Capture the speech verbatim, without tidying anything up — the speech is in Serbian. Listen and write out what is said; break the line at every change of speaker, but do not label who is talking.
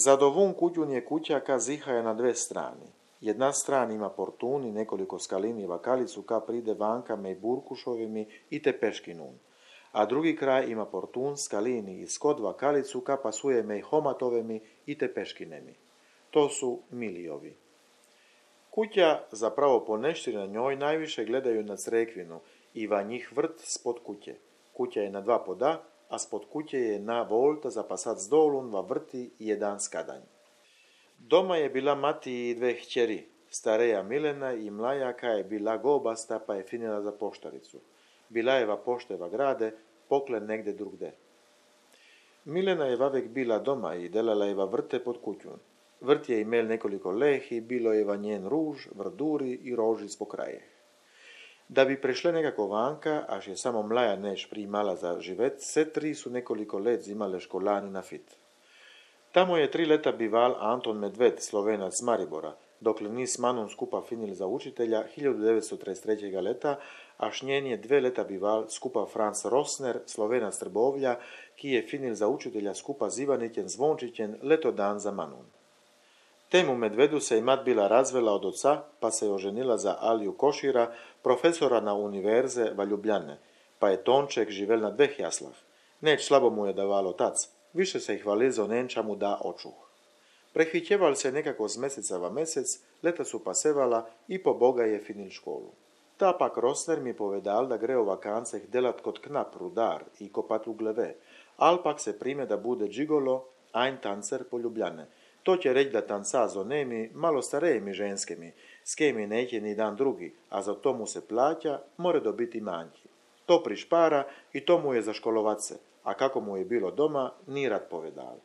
Za dovun kućun je kuća ka zihaja na dve strani. Jedna strana ima portun i nekoliko skalini i vakalicu ka pride vankame i burkušovimi i te peškinun. A drugi kraj ima portun, skalini i skod vakalicu ka pasujeme i homatovemi i te peškinemi. To su milijovi. Kuća zapravo poneštri na njoj najviše gledaju na Crekvinu i va njih vrt spod kuće. Kuća je na dva poda, a spod kuće je na volta za pasat s dolun va vrti i jedan skadanj. Doma je bila mati i dve hćeri, stareja Milena i mlaja ka je bila gobasta pa je finila za poštaricu. Bila je va pošteva grade, poklen negde drugde. Milena je vavek bila doma i delala je va vrte pod kućun. Vrt je imel nekoliko lehi, bilo je va njen ruž, vrduri i rožic po krajeh. Da bi prešle nekako vanka, až je samo mlaja neš primala za živet, se tri su nekoliko let zimale školani na fit. Tamo je tri leta bival Anton Medved, Slovenac z Maribora, dokle ni s Manom skupa finili za učitelja hiljadu devetsto trideset trećega leta, až njen je dve leta bival skupa Franz Rosner, Slovenac z Trbovlja, ki je finil za učitelja skupa z Ivanićem Zvončićem leto dan za Manun. Temu Medvedu se i mat bila razvela od oca, pa se je oženila za Aliju Košira, profesora na univerze va Ljubljane, pa je Tonček živel na dveh jaslah. Neč slabo mu je davalo tac, više se ih hvalizo nenča mu da očuh. Prehvićeval se nekako z meseca va mesec, leta su pasevala i po Boga je finil školu. Ta pak Rosner mi povedal da gre o vakanceh delat kot knap, rudar i kopat ugleve, al pak se prime da bude džigolo, ein tancer po Ljubljane. To će reći da tanca z onemi, malo starejimi ženskemi, s kemi neće ni dan drugi, a za to mu se plaća, more dobiti manjki. To prišpara i to mu je za školovace, a kako mu je bilo doma, ni rad povedal.